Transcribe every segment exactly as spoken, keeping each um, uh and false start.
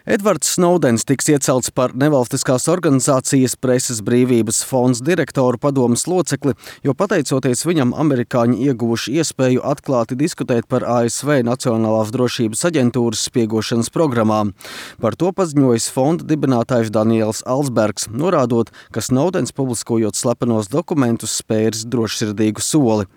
Edvards Snowdens tiks iecelts par nevalstiskās organizācijas Preses brīvības fonds direktoru padomes locekli, jo pateicoties viņam amerikāņi ieguvuši iespēju atklāti diskutēt par A S V Nacionālās drošības aģentūras spiegošanas programmām. Par to paziņojis fonda dibinātājs Daniels Alsbergs, norādot, ka Snowdens publiskojot slepenos dokumentus spēris drošsirdīgu soli.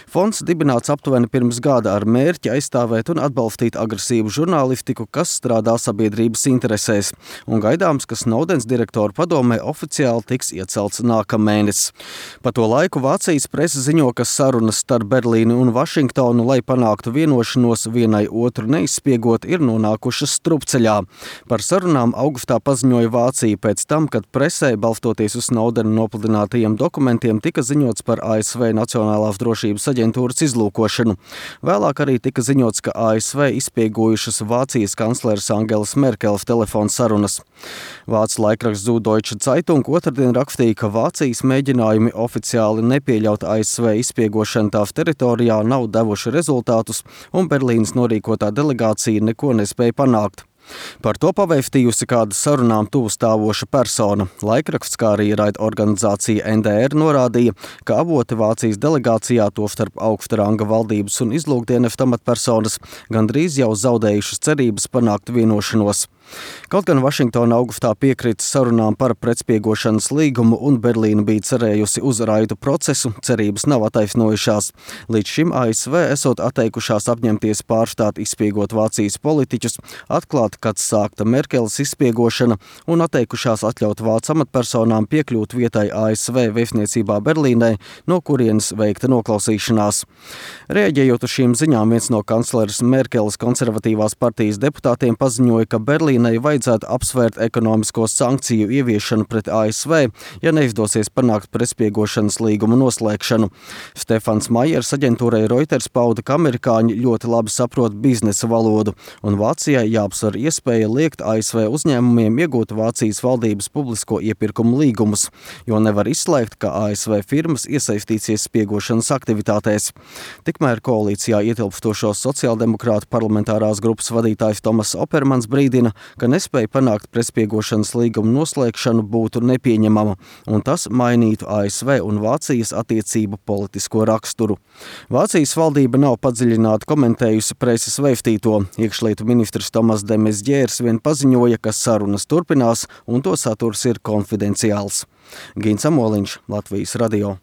Fonds dibināts aptuveni pirms gada ar mērķi aizstāvēt un atbalstīt agresīvu žurnālistiku, kas strādā sabiedrības interesēs, un gaidāms, ka Snowdens direktoru padomē oficiāli tiks iecelts nākamēnes. Pa to laiku Vācijas presa ziņo, ka sarunas starp Berlīnu un Vašingtonu, lai panāktu vienošanos vienai otru neizspiegot, ir nonākušas strupceļā. Par sarunām augustā paziņoja Vācija pēc tam, kad presē, balstoties uz Snowdena nopludinātajiem dokumentiem, tika ziņots par A S V Nacionālās drošības aģentūras izlūkošanu. Vēlāk arī tika ziņots, ka A S V izspiegojušas Vācijas kancleres Angelas Merkeles telefona sarunas. Vācu laikraksts Süddeutsche Zeitung otrdien rakstīja, ka Vācijas mēģinājumi oficiāli nepieļaut A S V izspiegošanu tās teritorijā nav devuši rezultātus, un Berlīnas norīkotā delegācija neko nespēja panākt. Par to pavēstījusi kāda sarunām tuvu stāvoša persona. Laikraksts, kā arī raidorganizācija N D R norādīja, ka avoti Vācijas delegācijā, tostarp augsta ranga valdības un izlūkdienestu amatpersonas, gandrīz jau zaudējušas cerības panākt vienošanos. Kaut gan Vašingtona augustā piekrita sarunām par pretspiegošanas līgumu un Berlīna bija cerējusi uz raidu procesu, cerības nav attaisnojušās. Līdz šim A S V esot atteikušās apņemties pārstāt izspiegot Vācijas politiķus, atklāt, kad sākta Merkeles izspiegošana, un atteikušās atļaut vācu amatpersonām piekļūt vietai A S V vēstniecībā Berlīnē, no kurienes veikta noklausīšanās. Reaģējot uz šīm ziņām, viens no kancleres Merkeles konservatīvās partijas deputātiem paziņoja, ka Berlīnai vajadzētu apsvērt ekonomisko sankciju ieviešanu pret A S V, ja neizdosies panākt pretspiegošanas līgumu noslēgšanu. Stefans Maiers aģentūrai Reuters pauda, ka amerikāņi ļoti labi saprot biznesa valodu, un Vācijai jāapsver iespēja liekt A S V uzņēmumiem iegūt Vācijas valdības publisko iepirkumu līgumus, jo nevar izslēgt, ka A S V firmas iesaistīsies spiegošanas aktivitātēs. Tikmēr koalīcijā ietilpstošo sociāldemokrātu parlamentārās grupas vadītājs Tomas Opermans brīdina, ka nespēja panākt pretspiegošanas līgumu noslēgšanu būtu nepieņemama, un tas mainītu A S V un Vācijas attiecību politisko raksturu. Vācijas valdība nav padziļināti komentējusi preses vēstīto. Iekšlietu ministrs Tomas de Maizières vien paziņoja, ka sarunas turpinās un to saturs ir konfidenciāls. Gins Amoliņš, Latvijas radio.